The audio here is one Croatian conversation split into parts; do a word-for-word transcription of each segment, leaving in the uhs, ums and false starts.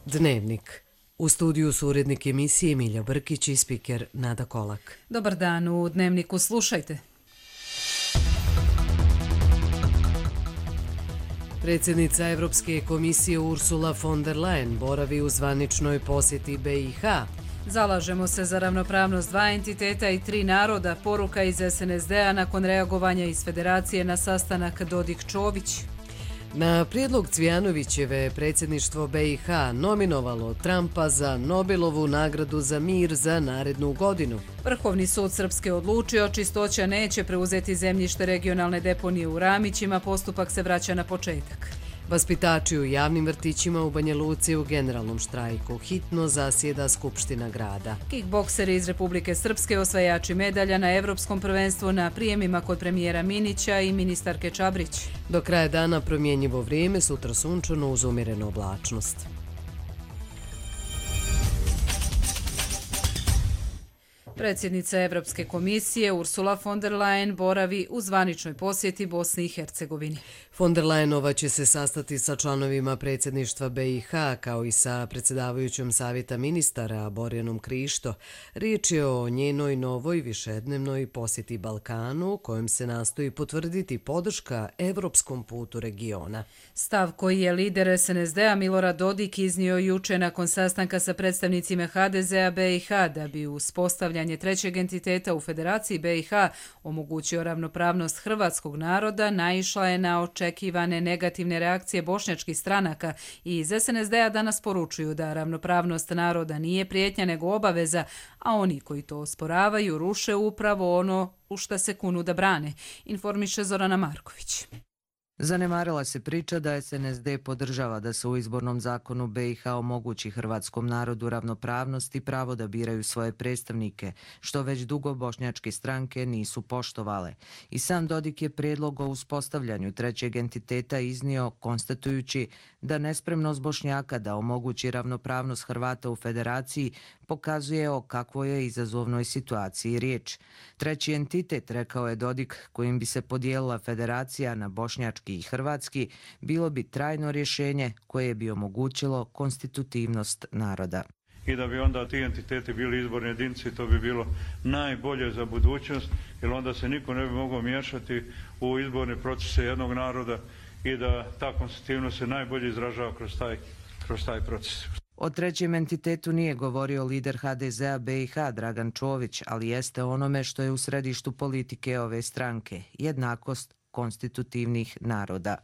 Dnevnik. U studiju su urednik emisije Milja Brkić i spiker Nada Kolak. Dobar dan, u Dnevniku slušajte. Predsjednica Evropske komisije Ursula von der Leyen boravi u zvaničnoj posjeti B i H. Zalažemo se za ravnopravnost dva entiteta i tri naroda, poruka iz S N S D-a nakon reagovanja iz Federacije na sastanak Dodik-Čović. Na prijedlog Cvijanovićeve predsjedništvo B i H nominovalo Trumpa za Nobelovu nagradu za mir za narednu godinu. Vrhovni sud Srpske odlučio, Čistoća neće preuzeti zemljište regionalne deponije u Ramićima, postupak se vraća na početak. Vaspitači u javnim vrtićima u Banja Luci u generalnom štrajku. Hitno zasjeda Skupština grada. Kickbokseri iz Republike Srpske osvajači medalja na Evropskom prvenstvu na prijemima kod premijera Minića i ministarke Čabrić. Do kraja dana promjenjivo vrijeme, sutra sunčano uz umjerenu oblačnost. Predsjednica Evropske komisije Ursula von der Leyen boravi u zvaničnoj posjeti Bosni i Hercegovini. Von der Leyenova će se sastati sa članovima predsjedništva B i H kao i sa predsjedavajućom savjeta ministara Borjanom Krišto. Riječ je o njenoj novoj višednevnoj posjeti Balkanu kojom se nastoji potvrditi podrška evropskom putu regiona. Stav koji je lider S N S D-a Milorad Dodik iznio juče nakon sastanka sa predstavnicima H D Z-a B i H da bi uspostavljanje trećeg entiteta u Federaciji B i H omogućio ravnopravnost hrvatskog naroda, naišla je na očekivane negativne reakcije bošnjačkih stranaka i iz S N S D-a danas poručuju da ravnopravnost naroda nije prijetnja nego obaveza, a oni koji to osporavaju ruše upravo ono u šta se kunu da brane, informiše Zorana Marković. Zanemarila se priča da S N S D podržava da se u izbornom zakonu B i H omogući hrvatskom narodu ravnopravnost i pravo da biraju svoje predstavnike, što već dugo bošnjačke stranke nisu poštovale. I sam Dodik je prijedlog o uspostavljanju trećeg entiteta iznio konstatujući da nespremnost Bošnjaka da omogući ravnopravnost Hrvata u federaciji pokazuje o kakvoj je izazovnoj situaciji riječ. Treći entitet, rekao je Dodik, kojim bi se podijelila federacija na bošnjački i hrvatski, bilo bi trajno rješenje koje bi omogućilo konstitutivnost naroda. I da bi onda ti entiteti bili izborni jedinci, to bi bilo najbolje za budućnost, jer onda se niko ne bi mogao miješati u izborne procese jednog naroda i da ta konstitutivnost se najbolje izražava kroz taj, kroz taj proces. O trećem entitetu nije govorio lider H D Z-a B i H Dragan Čović, ali jeste onome što je u središtu politike ove stranke, jednakost konstitutivnih naroda.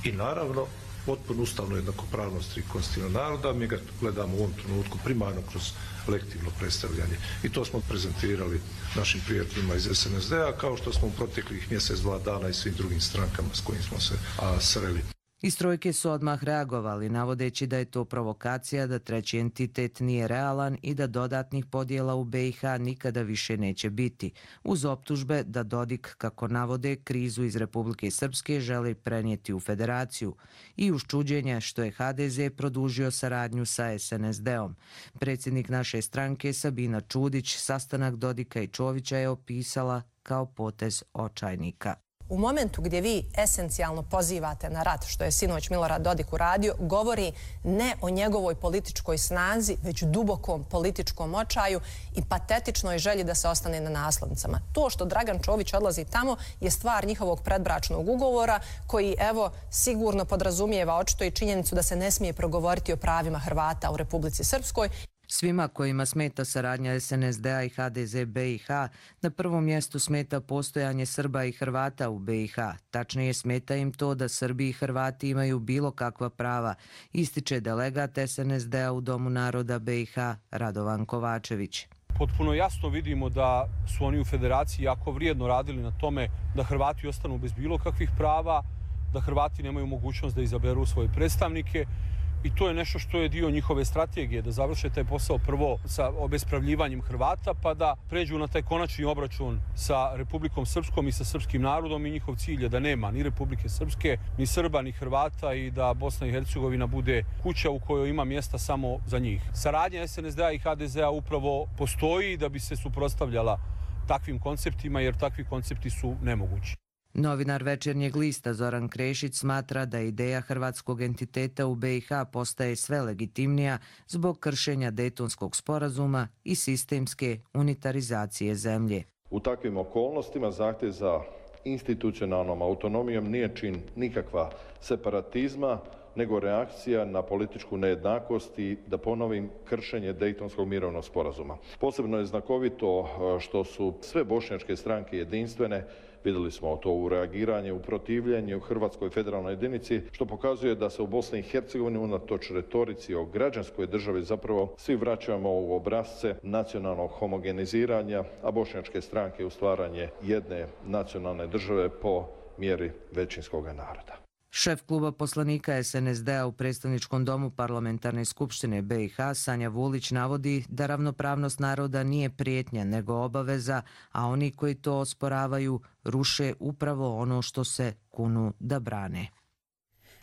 I naravno, potpuno ustavno jednakopravnost tri konstitutivnog naroda, mi ga gledamo u ovom trenutku primarno kroz lektivno predstavljanje. I to smo prezentirali našim prijateljima iz S N S D-a, kao što smo u proteklih mjesec, dva dana i svim drugim strankama s kojim smo se a, sreli. Iz trojke su odmah reagovali, navodeći da je to provokacija, da treći entitet nije realan i da dodatnih podjela u B i H nikada više neće biti, uz optužbe da Dodik, kako navode, krizu iz Republike Srpske želi prenijeti u federaciju i uz čuđenje što je H D Z produžio saradnju sa S N S D-om. Predsjednik naše stranke Sabina Čudić sastanak Dodika i Čovića je opisala kao potez očajnika. U momentu gdje vi esencijalno pozivate na rat, što je sinoć Milorad Dodik uradio, govori ne o njegovoj političkoj snazi, već dubokom političkom očaju i patetičnoj želji da se ostane na naslovnicama. To što Dragan Čović odlazi tamo je stvar njihovog predbračnog ugovora koji, evo, sigurno podrazumijeva očito i činjenicu da se ne smije progovoriti o pravima Hrvata u Republici Srpskoj. Svima kojima smeta saradnja S N S D-a i H D Z B i H, na prvom mjestu smeta postojanje Srba i Hrvata u B i H. Tačnije smeta im to da Srbi i Hrvati imaju bilo kakva prava, ističe delegat S N S D-a u Domu naroda B i H Radovan Kovačević. Potpuno jasno vidimo da su oni u federaciji jako vrijedno radili na tome da Hrvati ostanu bez bilo kakvih prava, da Hrvati nemaju mogućnost da izaberu svoje predstavnike. I to je nešto što je dio njihove strategije, da završe taj posao prvo sa obespravljivanjem Hrvata, pa da pređu na taj konačni obračun sa Republikom Srpskom i sa srpskim narodom i njihov cilj je da nema ni Republike Srpske, ni Srba, ni Hrvata i da Bosna i Hercegovina bude kuća u kojoj ima mjesta samo za njih. Saradnja S N S D-a i H D Z-a upravo postoji da bi se suprotstavljala takvim konceptima, jer takvi koncepti su nemogući. Novinar Večernjeg lista Zoran Krešić smatra da ideja hrvatskog entiteta u be i ha postaje sve legitimnija zbog kršenja Dejtonskog sporazuma i sistemske unitarizacije zemlje. U takvim okolnostima zahtjev za institucionalnom autonomijom nije čin nikakva separatizma, nego reakcija na političku nejednakost i, da ponovim, kršenje Dejtonskog mirovnog sporazuma. Posebno je znakovito što su sve bošnjačke stranke jedinstvene. Vidjeli smo to u reagiranju, u protivljenju Hrvatskoj federalnoj jedinici, što pokazuje da se u Bosni i Hercegovini unatoč retorici o građanskoj državi zapravo svi vraćamo u obrasce nacionalnog homogeniziranja, a bošnjačke stranke u stvaranje jedne nacionalne države po mjeri većinskog naroda. Šef kluba poslanika es en es de a u predstavničkom domu Parlamentarne skupštine be i ha Sanja Vulić navodi da ravnopravnost naroda nije prijetnja nego obaveza, a oni koji to osporavaju ruše upravo ono što se kunu da brane.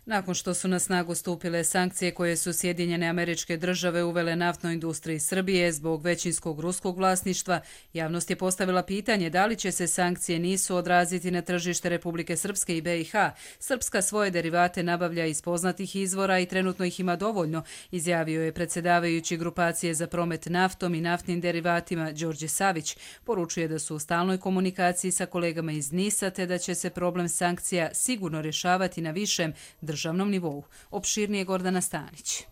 Nakon što su na snagu stupile sankcije koje su Sjedinjene Američke Države uvele naftnoj industriji Srbije zbog većinskog ruskog vlasništva, javnost je postavila pitanje da li će se sankcije nisu odraziti na tržište Republike Srpske i be i ha. Srpska svoje derivate nabavlja iz poznatih izvora i trenutno ih ima dovoljno, izjavio je predsjedavajući grupacije za promet naftom i naftnim derivatima Đorđe Savić. Poručuje da su u stalnoj komunikaciji sa kolegama iz Nisa te da će se problem sankcija sigurno rješavati na višem državnom nivou. Opširnije Gordana Stanić.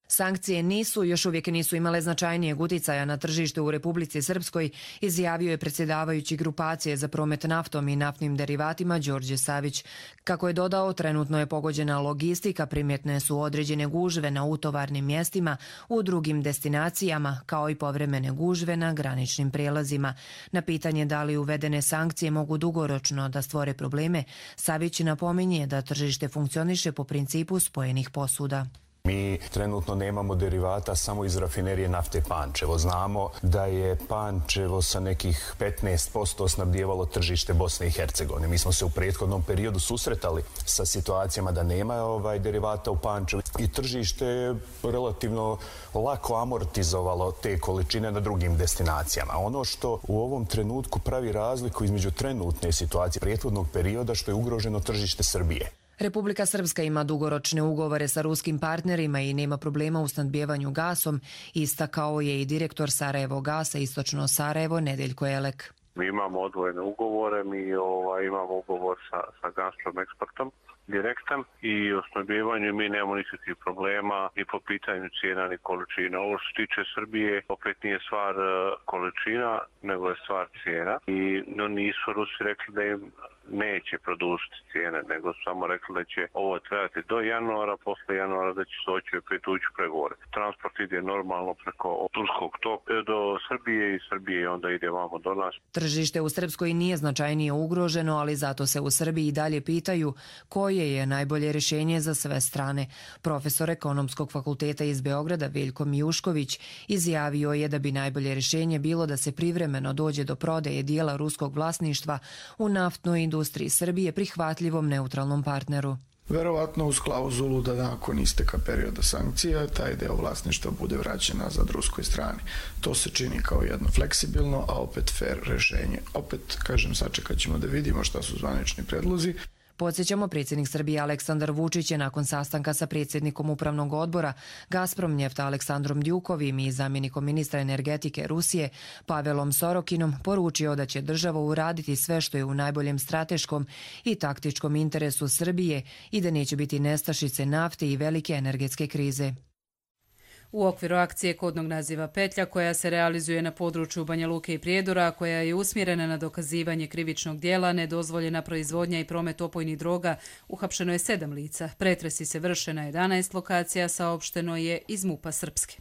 Sankcije nisu, još uvijek nisu imale značajnijeg uticaja na tržište u Republici Srpskoj, izjavio je predsjedavajući grupacije za promet naftom i naftnim derivatima Đorđe Savić. Kako je dodao, trenutno je pogođena logistika, primjetne su određene gužve na utovarnim mjestima u drugim destinacijama, kao i povremene gužve na graničnim prijelazima. Na pitanje da li uvedene sankcije mogu dugoročno da stvore probleme, Savić napominje da tržište funkcioniše po principu spojenih posuda. Mi trenutno nemamo derivata samo iz rafinerije nafte Pančevo. Znamo da je Pančevo sa nekih petnaest posto snabdijevalo tržište Bosne i Hercegovine. Mi smo se u prethodnom periodu susretali sa situacijama da nema ovaj derivata u Pančevu i tržište je relativno lako amortizovalo te količine na drugim destinacijama. Ono što u ovom trenutku pravi razliku između trenutne situacije prethodnog perioda što je ugroženo tržište Srbije. Republika Srpska ima dugoročne ugovore sa ruskim partnerima i nema problema u snabdijevanju gasom, istakao je i direktor Sarajevo gasa Istočno Sarajevo Nedeljko Elek. Mi imamo odvojene ugovore, mi ovaj, imamo ugovor sa, sa Gazprom eksportom direktan i o snabdijevanju mi nemamo nikakvih problema ni po pitanju cijena ni količina. Ovo što se tiče Srbije opet nije stvar količina, nego je stvar cijena i no, nisu Rusi rekli da im neće produžiti cijene, nego samo rekli da će ovo trajati do januara, posle januara da će se doći opet ući u pregovore. Transport ide normalno preko turskog toka do Srbije i Srbije onda ide vamo do nas. Tržište u Srpskoj nije značajnije ugroženo, ali zato se u Srbiji dalje pitaju koje je najbolje rješenje za sve strane. Profesor Ekonomskog fakulteta iz Beograda Veljko Mijušković izjavio je da bi najbolje rješenje bilo da se privremeno dođe do prodaje dijela ruskog vlasništva u naftnoj industriji Srbije prihvatljivom neutralnom partneru. Verovatno uz klauzulu da nakon isteka perioda sankcija taj deo vlasništva bude vraćen nazad ruskoj strani. To se čini kao jedno fleksibilno, a opet fair rješenje. Opet, kažem, sačekat ćemo da vidimo šta su zvanični predlozi. Podsjećamo, predsjednik Srbije Aleksandar Vučić je nakon sastanka sa predsjednikom upravnog odbora Gazprom Njefta Aleksandrom Djukovim i zamjenikom ministra energetike Rusije Pavelom Sorokinom poručio da će država uraditi sve što je u najboljem strateškom i taktičkom interesu Srbije i da neće biti nestašice nafte i velike energetske krize. U okviru akcije kodnog naziva Petlja, koja se realizuje na području Banja Luke i Prijedora, koja je usmjerena na dokazivanje krivičnog dijela, nedozvoljena proizvodnja i promet opojnih droga, uhapšeno je sedam lica. Pretresi se vrše na jedanaest lokacija, saopšteno je iz MUP-a Srpske.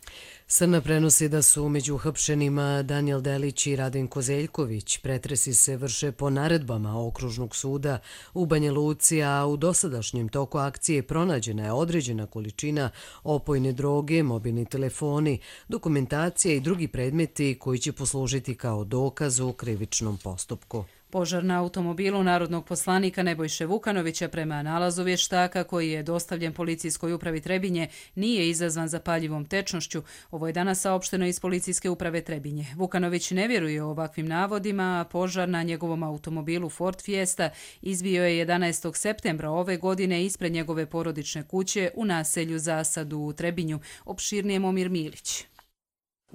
Srna prenosi da su među uhapšenima Danijel Delić i Radenko Zeljković. Pretresi se vrše po naredbama Okružnog suda u Banja Luci, a u dosadašnjem toku akcije pronađena je određena količina opojne droge, mobilni telefoni, dokumentacija i drugi predmeti koji će poslužiti kao dokaz u krivičnom postupku. Požar na automobilu narodnog poslanika Nebojše Vukanovića prema nalazu vještaka koji je dostavljen policijskoj upravi Trebinje nije izazvan zapaljivom tečnošću. Ovo je danas saopšteno iz policijske uprave Trebinje. Vukanović ne vjeruje o ovakvim navodima, a požar na njegovom automobilu Ford Fiesta izbio je jedanaestog septembra ove godine ispred njegove porodične kuće u naselju Zasadu u Trebinju. Opširnije Momir Milić.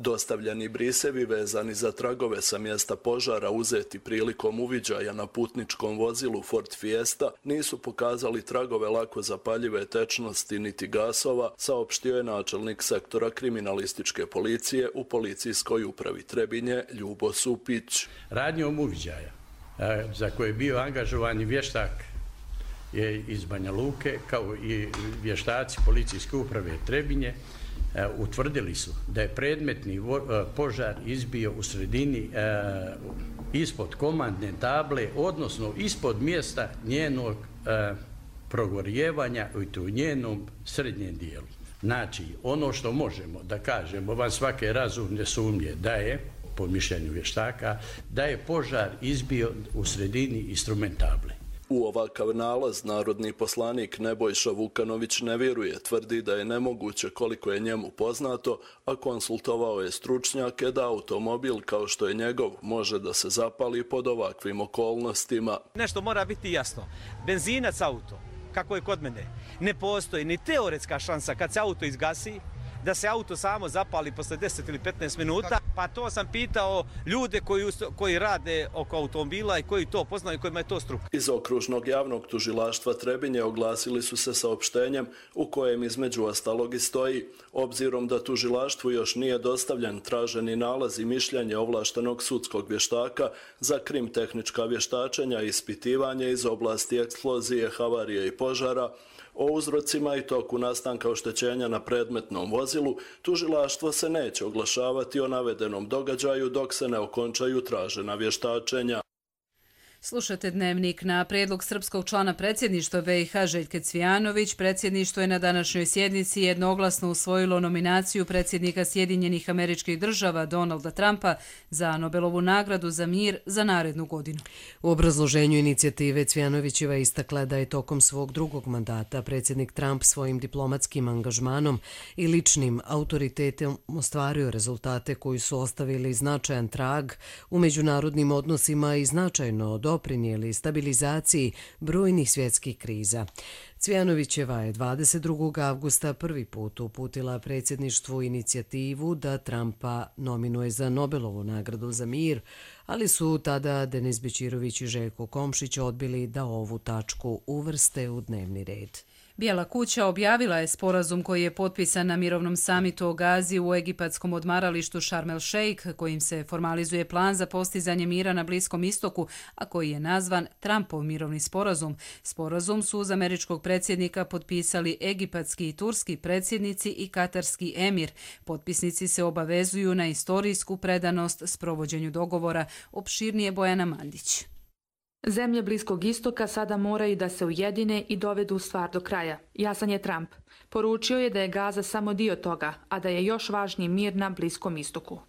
Dostavljeni brisevi vezani za tragove sa mjesta požara uzeti prilikom uviđaja na putničkom vozilu Ford Fiesta nisu pokazali tragove lako zapaljive tečnosti niti gasova, saopštio je načelnik sektora kriminalističke policije u policijskoj upravi Trebinje Ljubo Supić. Radnjom uviđaja za koje je bio angažovan vještak je iz Banja Luke kao i vještaci policijske uprave Trebinje utvrdili su da je predmetni požar izbio u sredini ispod komandne table, odnosno ispod mjesta njenog progorjevanja i to u njenom srednjem dijelu. Znači, ono što možemo da kažemo van svake razumne sumnje da je, po mišljenju vještaka, da je požar izbio u sredini instrumentable. U ovakav nalaz narodni poslanik Nebojša Vukanović ne vjeruje, tvrdi da je nemoguće koliko je njemu poznato, a konsultovao je stručnjake da automobil kao što je njegov može da se zapali pod ovakvim okolnostima. Nešto mora biti jasno. Benzinac auto, kako je kod mene, ne postoji ni teoretska šansa kad se auto izgasi, da se auto samo zapali posle deset ili petnaest minuta, pa to sam pitao ljude koji, koji rade oko automobila i koji to poznaju i kojima je to struka. Iz okružnog javnog tužilaštva Trebinje oglasili su se saopštenjem u kojem između ostalog i stoji: obzirom da tužilaštvu još nije dostavljen traženi nalaz i mišljenje ovlaštenog sudskog vještaka za krim-tehnička vještačenja i ispitivanje iz oblasti eksplozije, havarije i požara, o uzrocima i toku nastanka oštećenja na predmetnom vozilu, tužilaštvo se neće oglašavati o navedenom događaju dok se ne okončaju tražena vještačenja. Slušate Dnevnik. Na prijedlog srpskog člana predsjedništva B i H Željke Cvijanović, predsjedništvo je na današnjoj sjednici jednoglasno usvojilo nominaciju predsjednika Sjedinjenih Američkih Država Donalda Trumpa za Nobelovu nagradu za mir za narednu godinu. U obrazloženju inicijative Cvijanovićeva istakla da je tokom svog drugog mandata predsjednik Trump svojim diplomatskim angažmanom i ličnim autoritetom ostvario rezultate koji su ostavili značajan trag u međunarodnim odnosima i značajno doprinijeli stabilizaciji brojnih svjetskih kriza. Cvijanovićeva je dvadeset drugog avgusta prvi put uputila predsjedništvu inicijativu da Trumpa nominuje za Nobelovu nagradu za mir, ali su tada Denis Bećirović i Željko Komšić odbili da ovu tačku uvrste u dnevni red. Bijela kuća objavila je sporazum koji je potpisan na mirovnom samitu o Gazi u egipatskom odmaralištu Sharm el Sheikh, kojim se formalizuje plan za postizanje mira na Bliskom istoku, a koji je nazvan Trumpov mirovni sporazum. Sporazum su uz američkog predsjednika potpisali egipatski i turski predsjednici i katarski emir. Potpisnici se obavezuju na istorijsku predanost sprovođenju dogovora. Opširnije Bojana Mandić. Zemlje Bliskog istoka sada moraju da se ujedine i dovedu stvar do kraja. Jasan je Trump. Poručio je da je Gaza samo dio toga, a da je još važniji mir na Bliskom istoku.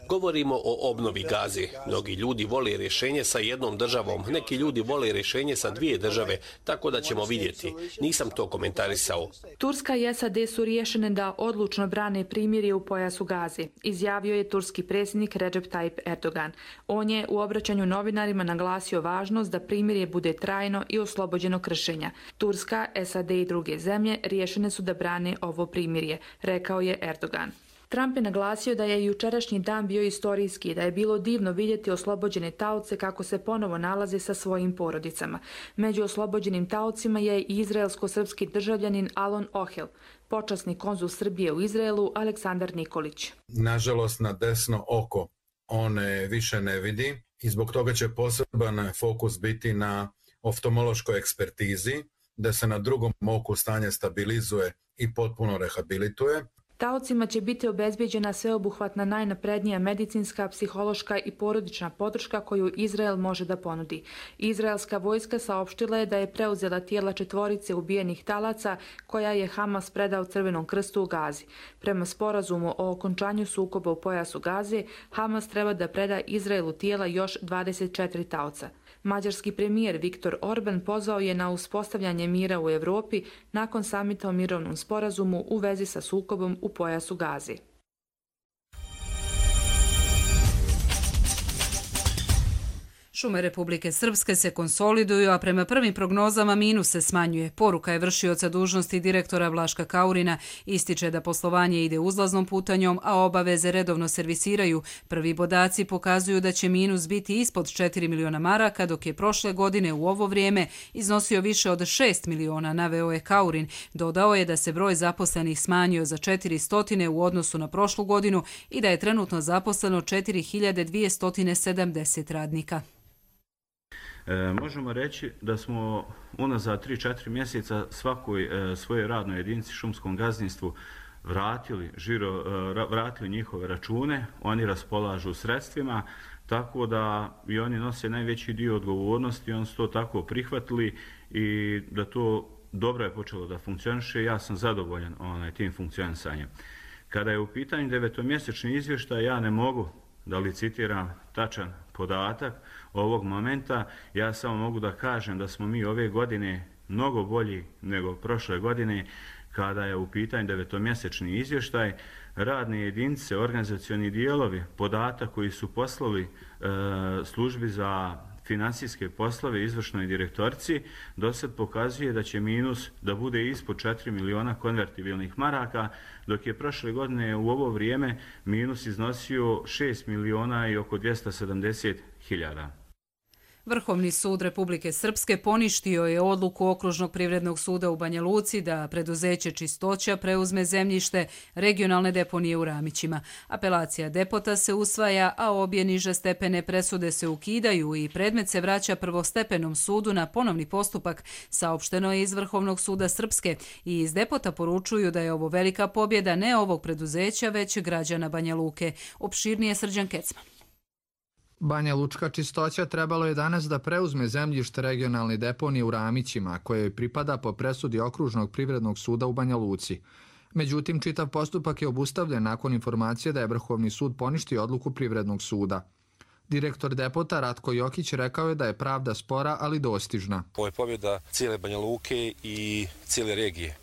Govorimo o obnovi Gaze. Mnogi ljudi vole rješenje sa jednom državom, neki ljudi vole rješenje sa dvije države, tako da ćemo vidjeti. Nisam to komentarisao. Turska i S A D su riješene da odlučno brane primirje u pojasu Gaze, izjavio je turski predsjednik Recep Tayyip Erdogan. On je u obraćanju novinarima naglasio važnost da primirje bude trajno i oslobođeno kršenja. Turska, S A D i druge zemlje riješene su da brane ovo primirje, rekao je Erdogan. Trump je naglasio da je jučerašnji dan bio istorijski, da je bilo divno vidjeti oslobođene taoce kako se ponovo nalaze sa svojim porodicama. Među oslobođenim taocima je i izraelsko-srpski državljanin Alon Ohel, počasni konzul Srbije u Izraelu Aleksandar Nikolić. Nažalost, na desno oko on više ne vidi i zbog toga će poseban fokus biti na oftalmološkoj ekspertizi, da se na drugom oku stanje stabilizuje i potpuno rehabilituje. Taocima će biti obezbijeđena sveobuhvatna najnaprednija medicinska, psihološka i porodična podrška koju Izrael može da ponudi. Izraelska vojska saopštila je da je preuzela tijela četvorice ubijenih talaca koja je Hamas predao Crvenom krstu u Gazi. Prema sporazumu o okončanju sukoba u pojasu Gaze, Hamas treba da preda Izraelu tijela još dvadeset četiri taoca. Mađarski premijer Viktor Orban pozvao je na uspostavljanje mira u Evropi nakon samita o mirovnom sporazumu u vezi sa sukobom u pojasu Gaze. Šume Republike Srpske se konsoliduju, a prema prvim prognozama minus se smanjuje. Poruka je vršioca dužnosti direktora Vlaška Kaurina. Ističe da poslovanje ide uzlaznom putanjom, a obaveze redovno servisiraju. Prvi podaci pokazuju da će minus biti ispod četiri miliona maraka, dok je prošle godine u ovo vrijeme iznosio više od šest miliona, naveo je Kaurin. Dodao je da se broj zaposlenih smanjio za četiristo u odnosu na prošlu godinu i da je trenutno zaposleno četiri hiljade dvjesto sedamdeset radnika. E, možemo reći da smo unazad tri do četiri mjeseca svakoj e, svojoj radnoj jedinici šumskom gazdinstvu vratili, žiro, e, vratili njihove račune, oni raspolažu sredstvima, tako da i oni nose najveći dio odgovornosti, oni su to tako prihvatili i da to dobro je počelo da funkcioniše. Ja sam zadovoljan onaj, tim funkcionisanjem. Kada je u pitanju devetomjesečni izvještaj, ja ne mogu da li citiram tačan podatak ovog momenta, ja samo mogu da kažem da smo mi ove godine mnogo bolji nego prošle godine kada je u pitanju devetomjesečni izvještaj. Radne jedinice, organizacioni dijelovi, podatak koji su poslali e, službi za finansijske poslove izvršnoj direktorici, do sad pokazuje da će minus da bude ispod četiri miliona konvertibilnih maraka, dok je prošle godine u ovo vrijeme minus iznosio šest miliona i oko dvjesto sedamdeset hiljada. Vrhovni sud Republike Srpske poništio je odluku Okružnog privrednog suda u Banja Luci da preduzeće Čistoća preuzme zemljište regionalne deponije u Ramićima. Apelacija depota se usvaja, a obje niže stepene presude se ukidaju i predmet se vraća prvostepenom sudu na ponovni postupak, saopšteno je iz Vrhovnog suda Srpske, i iz depota poručuju da je ovo velika pobjeda ne ovog preduzeća, već građana Banja Luke. Opširnije Srđan Kecman. Banja Lučka Čistoća trebalo je danas da preuzme zemljište regionalne deponije u Ramićima, koje joj pripada po presudi Okružnog privrednog suda u Banja Luci. Međutim, čitav postupak je obustavljen nakon informacije da je Vrhovni sud poništio odluku Privrednog suda. Direktor depota Ratko Jokić rekao je da je pravda spora, ali dostižna. Ovo je pobjeda cijele Banja Luke i cijele regije.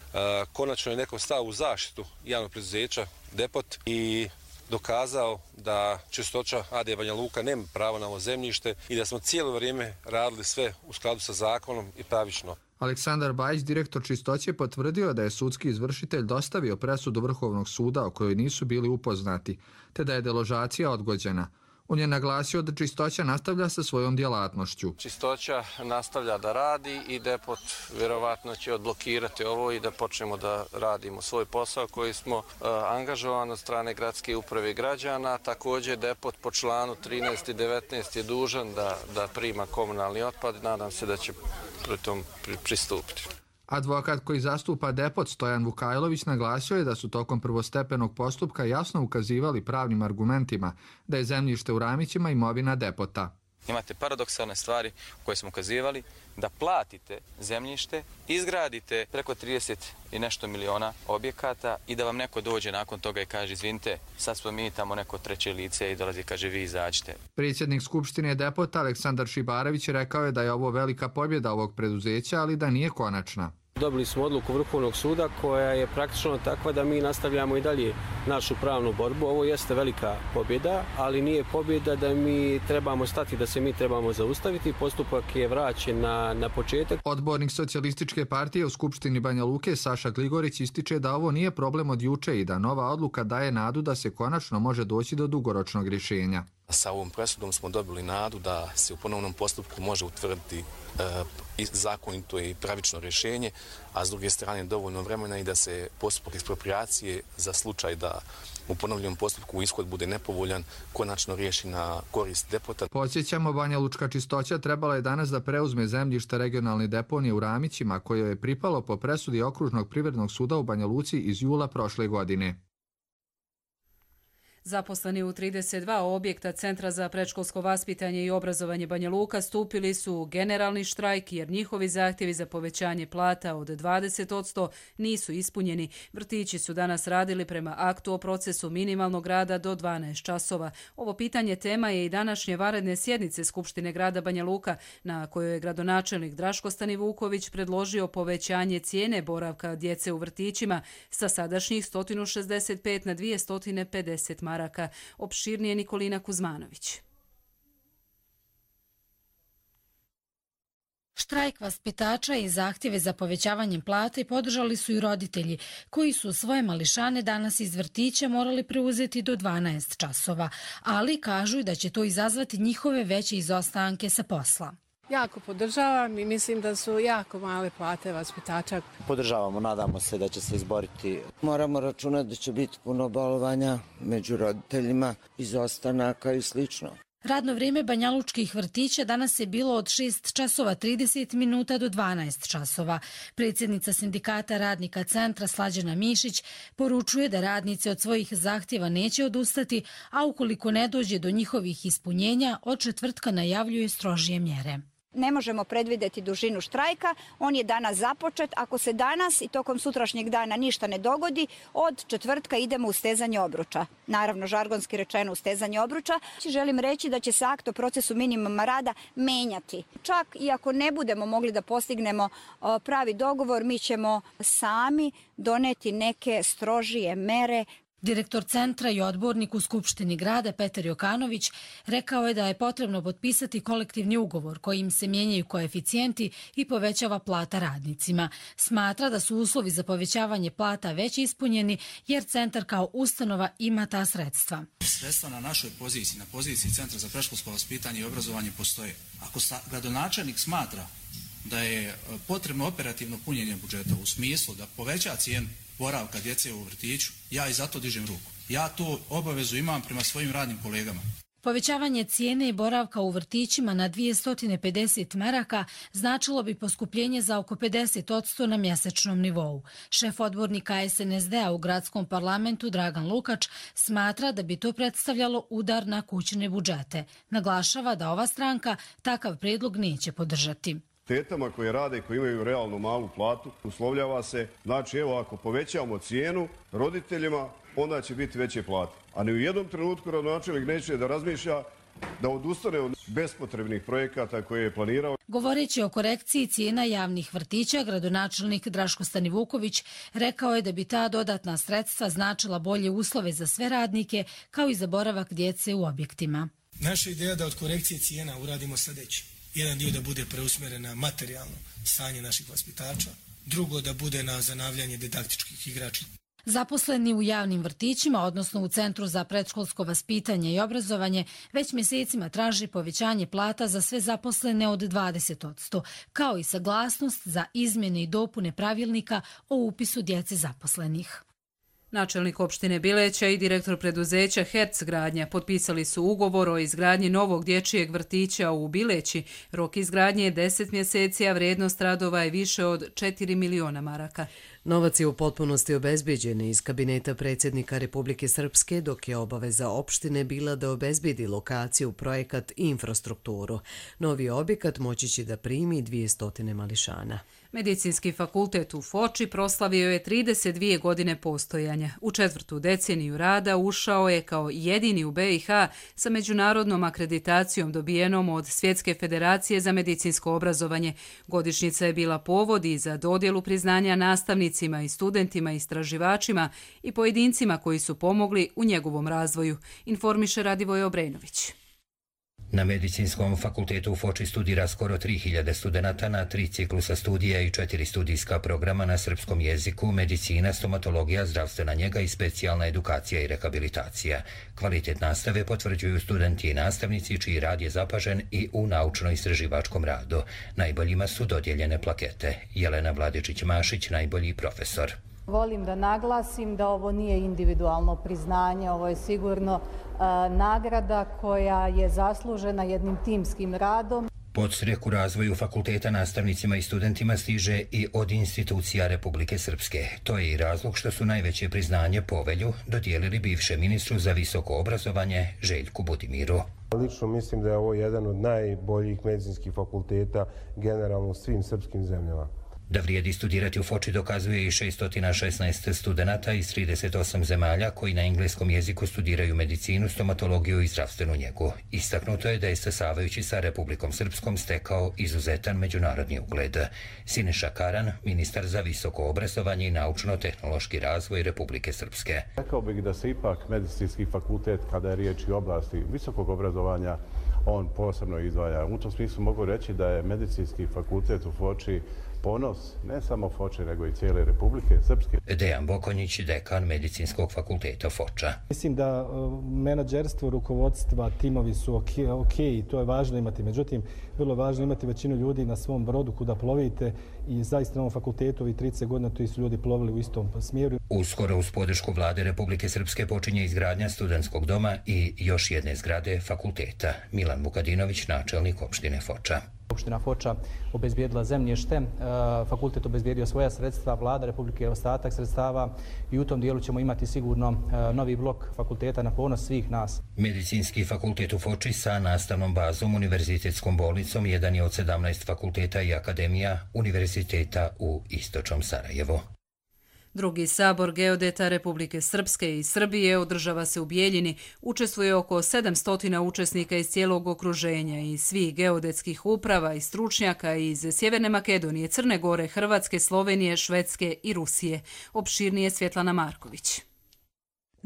Konačno je neko stao u zaštitu javnog preduzeća depot i dokazao da Čistoća A D Banja Luka nema pravo na ovo zemljište i da smo cijelo vrijeme radili sve u skladu sa zakonom i pravično. Aleksandar Bajić, direktor Čistoće, potvrdio da je sudski izvršitelj dostavio presudu Vrhovnog suda o kojoj nisu bili upoznati, te da je deložacija odgođena. On je naglasio da Čistoća nastavlja sa svojom djelatnošću. Čistoća nastavlja da radi i depot vjerovatno će odblokirati ovo i da počnemo da radimo svoj posao koji smo uh, angažovani od strane gradske uprave i građana. Također depot po članu trinaest i devetnaest je dužan da, da prima komunalni otpad. Nadam se da će pri tom pri, pristupiti. Advokat koji zastupa depot Stojan Vukajlović naglasio je da su tokom prvostepenog postupka jasno ukazivali pravnim argumentima da je zemljište u Ramićima imovina depota. Imate paradoksalne stvari koje smo ukazivali, da platite zemljište, izgradite preko trideset i nešto miliona objekata i da vam neko dođe nakon toga i kaže izvinite, sad smo mi tamo neko treće lice i dolazi i kaže vi izađite. Predsjednik Skupštine depota Aleksandar Šibarević rekao je da je ovo velika pobjeda ovog preduzeća, ali da nije konačna. Dobili smo odluku Vrhovnog suda koja je praktično takva da mi nastavljamo i dalje našu pravnu borbu. Ovo jeste velika pobjeda, ali nije pobjeda da mi trebamo stati, da se mi trebamo zaustaviti. Postupak je vraćen na, na početak. Odbornik Socijalističke partije u Skupštini Banja Luke Saša Gligorić ističe da ovo nije problem od juče i da nova odluka daje nadu da se konačno može doći do dugoročnog rješenja. Sa ovom presudom smo dobili nadu da se u ponovnom postupku može utvrditi e, zakonito i pravično rješenje, a s druge strane dovoljno vremena i da se postupak ekspropriacije za slučaj da u ponovljenom postupku ishod bude nepovoljan konačno riješi na korist depota. Podsjećamo, Banja Lučka Čistoća trebala je danas da preuzme zemljište regionalne deponije u Ramićima, koje je pripalo po presudi Okružnog privrednog suda u Banja Luci iz jula prošle godine. Zaposleni u trideset dva objekta Centra za predškolsko vaspitanje i obrazovanje Banja Luka stupili su u generalni štrajk jer njihovi zahtjevi za povećanje plata od dvadeset posto nisu ispunjeni. Vrtići su danas radili prema aktu o procesu minimalnog rada do dvanaest časova. Ovo pitanje tema je i današnje vanredne sjednice Skupštine grada Banja Luka, na kojoj je gradonačelnik Draško Stanivuković predložio povećanje cijene boravka djece u vrtićima sa sadašnjih sto šezdeset pet na dvjesto pedeset maraka. Opširnije Nikolina Kuzmanović. Štrajk vaspitača i zahtjeve za povećavanjem plate podržali su i roditelji, koji su svoje mališane danas iz vrtića morali preuzeti do dvanaest časova, ali kažu da će to izazvati njihove veće izostanke sa posla. Jako podržavam i mislim da su jako male plate vaspitača. Podržavamo, nadamo se da će se izboriti. Moramo računati da će biti puno bolovanja među roditeljima, izostanaka i slično. Radno vrijeme banjalučkih vrtića danas je bilo od šest časova trideset minuta do dvanaest časova. Predsjednica sindikata radnika centra Slađana Mišić poručuje da radnici od svojih zahtjeva neće odustati, a ukoliko ne dođe do njihovih ispunjenja, od četvrtka najavljuje strožije mjere. Ne možemo predvidjeti dužinu štrajka, on je danas započet. Ako se danas i tokom sutrašnjeg dana ništa ne dogodi, od četvrtka idemo u stezanje obruča. Naravno, žargonski rečeno u stezanje obruča. Želim reći da će se akt o procesu minimuma rada menjati. Čak i ako ne budemo mogli da postignemo pravi dogovor, mi ćemo sami doneti neke strožije mere. Direktor centra i odbornik u Skupštini grada Petar Jokanović rekao je da je potrebno potpisati kolektivni ugovor kojim se mijenjaju koeficijenti i povećava plata radnicima. Smatra da su uslovi za povećavanje plata već ispunjeni jer centar kao ustanova ima ta sredstva. Sredstva na našoj poziciji, na poziciji Centra za predškolsko vaspitanje i obrazovanje postoje. Ako gradonačelnik smatra da je potrebno operativno punjenje budžeta u smislu da poveća cijenu boravka djece u vrtiću, ja i zato dižem ruku. Ja tu obavezu imam prema svojim radnim kolegama. Povećavanje cijene i boravka u vrtićima na dvjesto pedeset maraka značilo bi poskupljenje za oko pedeset posto na mjesečnom nivou. Šef odbornika S N S D-a u gradskom parlamentu Dragan Lukač smatra da bi to predstavljalo udar na kućne budžete. Naglašava da ova stranka takav prijedlog neće podržati. Tetama koje rade, koji imaju realno malu platu, uslovljava se, znači evo ako povećamo cijenu roditeljima, onda će biti veće plate. A ni u jednom trenutku gradonačelnik neće da razmišlja da odustane od bespotrebnih projekata koje je planirao. Govoreći o korekciji cijena javnih vrtića, gradonačelnik Draško Stanivuković rekao je da bi ta dodatna sredstva značila bolje uslove za sve radnike, kao i za boravak djece u objektima. Naša ideja je da od korekcije cijena uradimo sljedeće. Jedan dio da bude preusmjeren na materijalno stanje naših vaspitača, drugo da bude na zanavljanje didaktičkih igrača. Zaposleni u javnim vrtićima, odnosno u Centru za predškolsko vaspitanje i obrazovanje, već mjesecima traži povećanje plata za sve zaposlene od dvadeset posto, kao i saglasnost za izmjene i dopune pravilnika o upisu djece zaposlenih. Načelnik opštine Bileća i direktor preduzeća Herc gradnja potpisali su ugovor o izgradnji novog dječjeg vrtića u Bileći. Rok izgradnje je deset mjeseci, a vrijednost radova je više od četiri miliona maraka. Novac je u potpunosti obezbeđen iz kabineta predsjednika Republike Srpske, dok je obaveza opštine bila da obezbedi lokaciju, projekat i infrastrukturu. Novi objekat moći će da primi dvjesto mališana. Medicinski fakultet u Foči proslavio je trideset dvije godine postojanja. U četvrtu deceniju rada ušao je kao jedini u B i H sa međunarodnom akreditacijom dobijenom od Svjetske federacije za medicinsko obrazovanje. Godišnjica je bila povod i za dodjelu priznanja nastavnicima i studentima, istraživačima i pojedincima koji su pomogli u njegovom razvoju, informiše Radivoj Obrenović. Na Medicinskom fakultetu u Foči studira skoro tri hiljade studenata na tri ciklusa studija i četiri studijska programa na srpskom jeziku, medicina, stomatologija, zdravstvena njega i specijalna edukacija i rehabilitacija. Kvalitet nastave potvrđuju studenti i nastavnici čiji rad je zapažen i u naučno-istraživačkom radu. Najboljima su dodijeljene plakete. Jelena Vladičić-Mašić, najbolji profesor. Volim da naglasim da ovo nije individualno priznanje, ovo je sigurno uh, nagrada koja je zaslužena jednim timskim radom. Podstrek u razvoju fakulteta nastavnicima i studentima stiže i od institucija Republike Srpske. To je i razlog što su najveće priznanje povelju dodijelili bivšem ministru za visoko obrazovanje Željku Budimiru. Lično mislim da je ovo jedan od najboljih medicinskih fakulteta generalno u svim srpskim zemljama. Da vrijedi studirati u Foči dokazuje i šesto šesnaest studenata iz trideset osam zemalja koji na engleskom jeziku studiraju medicinu, stomatologiju i zdravstvenu njegu. Istaknuto je da je stasavajući sa Republikom Srpskom stekao izuzetan međunarodni ugled. Siniša Karan, ministar za visoko obrazovanje i naučno-tehnološki razvoj Republike Srpske. Rekao bih da se ipak medicinski fakultet, kada je riječ o oblasti visokog obrazovanja, on posebno izdvaja. U tom smislu mogu reći da je medicinski fakultet u Foči ponos ne samo Foče, nego i cijele Republike Srpske. Dejan Bokonjić, dekan Medicinskog fakulteta Foča. Mislim da menadžerstvo, rukovodstva, timovi su ok, ok i to je važno imati. Međutim, vrlo važno imati većinu ljudi na svom brodu kuda plovite i zaista na ovom fakultetu i trideset godina tu su ljudi plovili u istom smjeru. Uskoro uz podršku vlade Republike Srpske počinje izgradnja studentskog doma i još jedne zgrade fakulteta. Milan Vukadinović, načelnik opštine Foča. Opština Foča obezbijedila zemljište, fakultet obezbijedio svoja sredstva, vlada Republike ostatak sredstava i u tom dijelu ćemo imati sigurno novi blok fakulteta na ponos svih nas. Medicinski fakultet u Foči sa nastavnom bazom Univerzitetskom bolnicom jedan je od sedamnaest fakulteta i akademija Univerziteta u Istočnom Sarajevu. Drugi sabor geodeta Republike Srpske i Srbije održava se u Bijeljini. Učestvuje oko sedamsto učesnika iz cijelog okruženja i svih geodetskih uprava i stručnjaka iz Sjeverne Makedonije, Crne Gore, Hrvatske, Slovenije, Švedske i Rusije. Opširnije Svjetlana Marković.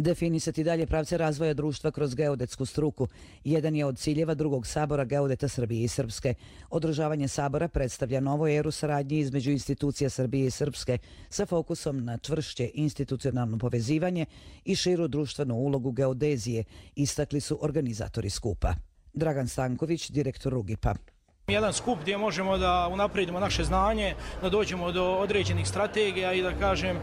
Definisati dalje pravce razvoja društva kroz geodetsku struku. Jedan je od ciljeva drugog sabora geodeta Srbije i Srpske. Održavanje sabora predstavlja novu eru saradnje između institucija Srbije i Srpske sa fokusom na čvršće institucionalno povezivanje i širu društvenu ulogu geodezije, istakli su organizatori skupa. Dragan Stanković, direktor Rugipa. Jedan skup gdje možemo da unaprijedimo naše znanje, da dođemo do određenih strategija i da kažem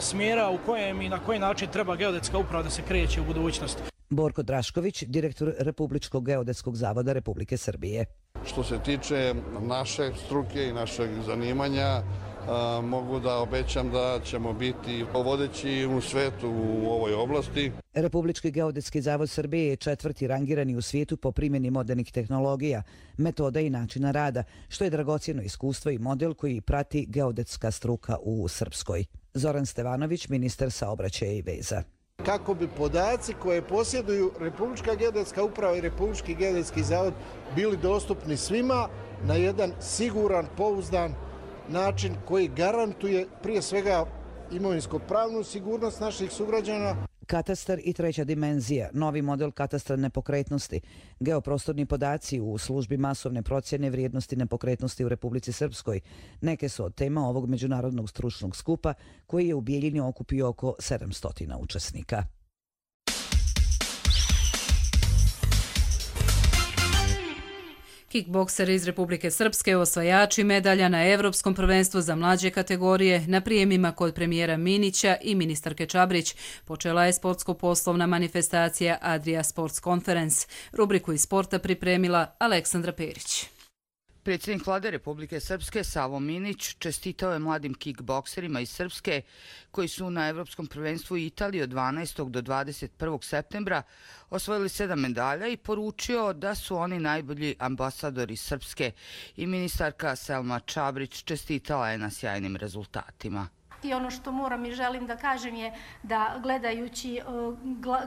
smjera u kojem i na koji način treba geodetska uprava da se kreće u budućnosti. Borko Drašković, direktor Republičkog geodetskog zavoda Republike Srbije. Što se tiče naše struke i našeg zanimanja, mogu da obećam da ćemo biti vodeći u svetu u ovoj oblasti. Republički geodetski zavod Srbije je četvrti rangirani u svijetu po primjeni modernih tehnologija, metoda i načina rada, što je dragocjeno iskustvo i model koji prati geodetska struka u Srpskoj. Zoran Stevanović, ministar saobraćaja i veza. Kako bi podaci koje posjeduju Republička geodetska uprava i Republički geodetski zavod bili dostupni svima na jedan siguran, pouzdan način koji garantuje prije svega imovinsko-pravnu sigurnost naših sugrađana. Katastar i treća dimenzija, novi model katastra nepokretnosti, geoprostorni podaci u službi masovne procjene vrijednosti nepokretnosti u Republici Srpskoj. Neke su od tema ovog međunarodnog stručnog skupa koji je u Bijeljini okupio oko sedamsto učesnika. Kickbokseri iz Republike Srpske osvajači medalja na Evropskom prvenstvu za mlađe kategorije na prijemima kod premijera Minića i ministarke Čabrić počela je sportsko-poslovna manifestacija Adria Sports Conference. Rubriku iz sporta pripremila Aleksandra Perić. Predsjednik vlade Republike Srpske Savo Minić čestitao je mladim kickbokserima iz Srpske koji su na Evropskom prvenstvu u Italiji od dvanaestog do dvadeset prvog septembra osvojili sedam medalja i poručio da su oni najbolji ambasadori Srpske i ministarka Selma Čabrić čestitala je na sjajnim rezultatima. I ono što moram i želim da kažem je da gledajući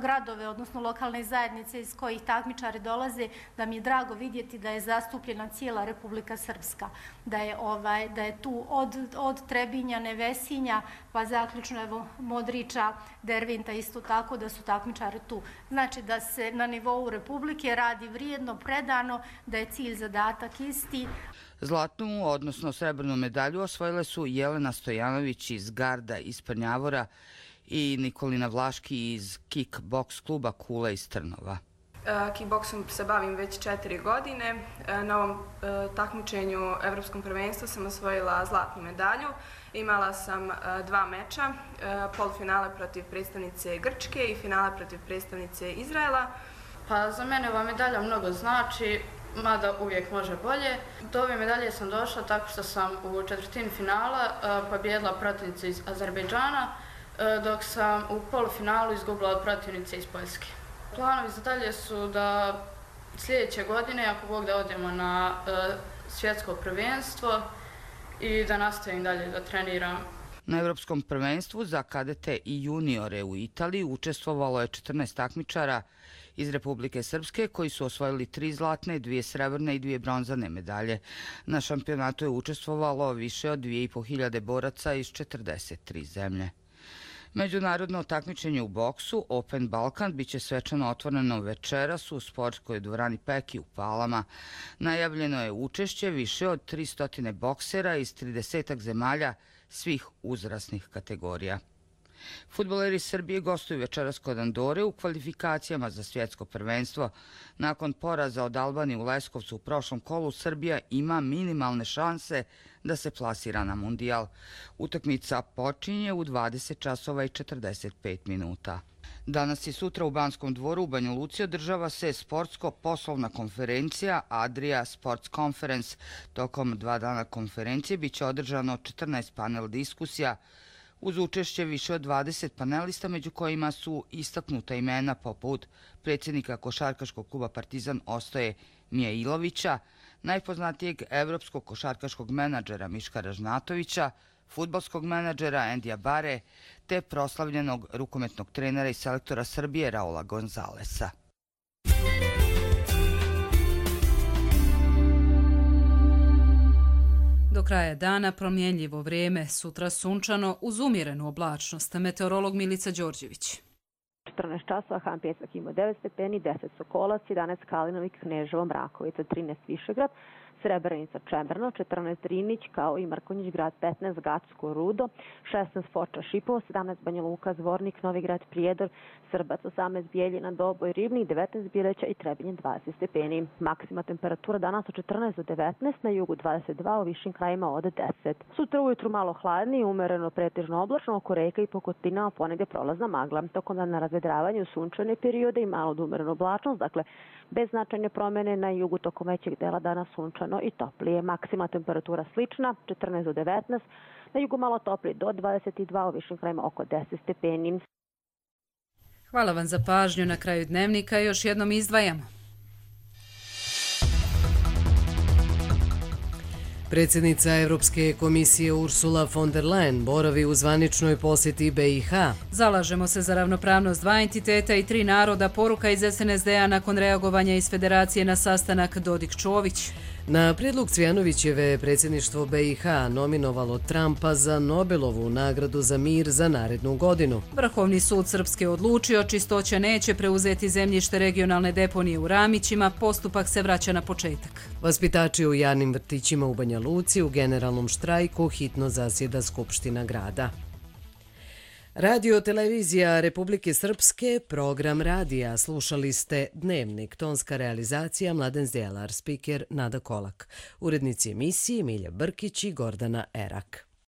gradove, odnosno lokalne zajednice iz kojih takmičari dolaze, da mi je drago vidjeti da je zastupljena cijela Republika Srpska. Da je, ovaj, da je tu od, od Trebinja, Nevesinja, pa zaključno evo Modrića, Dervinta isto tako da su takmičari tu. Znači da se na nivou Republike radi vrijedno, predano, da je cilj zadatak isti. Zlatnu, odnosno srebrnu medalju osvojile su Jelena Stojanović iz Garda iz Prnjavora i Nikolina Vlaški iz kickboks kluba Kula iz Trnova. Kickboksom se bavim već četiri godine. Na ovom takmičenju Evropskom prvenstvu sam osvojila zlatnu medalju. Imala sam dva meča, polufinale protiv predstavnice Grčke i finale protiv predstavnice Izraela. Pa za mene ova medalja mnogo znači. mada uvijek može bolje. Do ove medalje sam došla tako što sam u četvrtini finala pobjedila protivnicu iz Azerbejdžana, dok sam u polufinalu izgubila od protivnice iz Poljske. Planovi za dalje su da sljedeće godine, ako Bog da, odemo na svjetsko prvenstvo i da nastavim dalje da treniram. Na Evropskom prvenstvu za kadete i juniore u Italiji učestvovalo je četrnaest takmičara iz Republike Srpske koji su osvojili tri zlatne, dvije srebrne i dvije bronzane medalje. Na šampionatu je učestvovalo više od dvije i po hiljade boraca iz četrdeset tri zemlje. Međunarodno takmičenje u boksu Open Balkan biće svečano otvoreno večeras u sportskoj dvorani Peki u Palama. Najavljeno je učešće više od tristo boksera iz trideset zemalja svih uzrasnih kategorija. Fudbaleri Srbije gostuju večeras kod Andore u kvalifikacijama za svjetsko prvenstvo. Nakon poraza od Albanije u Leskovcu u prošlom kolu, Srbija ima minimalne šanse da se plasira na mundijal. Utakmica počinje u dvadeset časova i četrdeset pet minuta. Danas i sutra u Banskom dvoru u Banja Luci održava se sportsko-poslovna konferencija Adria Sports Conference. Tokom dva dana konferencije biće održano četrnaest panel diskusija uz učešće više od dvadeset panelista, među kojima su istaknuta imena poput predsjednika košarkaškog kluba Partizan Ostoje Mijailovića, najpoznatijeg evropskog košarkaškog menadžera Miška Ražnatovića, fudbalskog menadžera Endija Bare, te proslavljenog rukometnog trenera i selektora Srbije Raula Gonzalesa. Do kraja dana promjenljivo vrijeme, sutra sunčano uz umjerenu oblačnost. Meteorolog Milica Đorđević. četrnaest časova Han Pjesak ima devet stepeni, deset Sokolac, jedanaest Kalinović, Kneževo, Mrakovica, trinaest Višegrad, Srebrenica, Čemerno, četrnaest Drinić, kao i Mrkonjić grad, petnaest Gacko, Rudo, šesnaest Foča, Šipovo, sedamnaest Banja Luka, Zvornik, Novigrad, Prijedor, Srbac, osamnaest Bijeljina, Doboj, Ribnik, devetnaest Bileća i Trebinje, dvadeset stepeni. Maksima temperatura danas od četrnaest do devetnaest, na jugu dvadeset dva, u višim krajima od deset. Sutra ujutru malo hladnije, umereno pretežno oblačno, oko reka i Pokotina, a ponegde prolazna magla. Tokom dana razvedravanju sunčane periode i malo umereno oblačnost, dakle bez značajne promjene, na jugu tokom većeg dela dana sunčano i toplije. Maksima temperatura slična, četrnaest do devetnaest, na jugu malo toplije do dvadeset dva, u višim krajima oko deset stepeni. Hvala vam za pažnju. Na kraju dnevnika još jednom izdvajamo. Predsjednica Evropske komisije Ursula von der Leyen boravi u zvaničnoj posjeti B i H. Zalažemo se za ravnopravnost dva entiteta i tri naroda, poruka iz S N S D-a nakon reagovanja iz Federacije na sastanak Dodik-Čović. Na prijedlog Cvijanovićeve predsjedništvo B i H nominovalo Trumpa za Nobelovu nagradu za mir za narednu godinu. Vrhovni sud Srpske odlučio, Čistoća neće preuzeti zemljište regionalne deponije u Ramićima, postupak se vraća na početak. Vaspitači u javnim vrtićima u Banja Luci u generalnom štrajku hitno zasjeda Skupština grada. Radio televizija Republike Srpske, program radija. Slušali ste Dnevnik, tonska realizacija Mladen Zdjelar, spiker Nada Kolak. Urednici emisije Milja Brkić i Gordana Erak.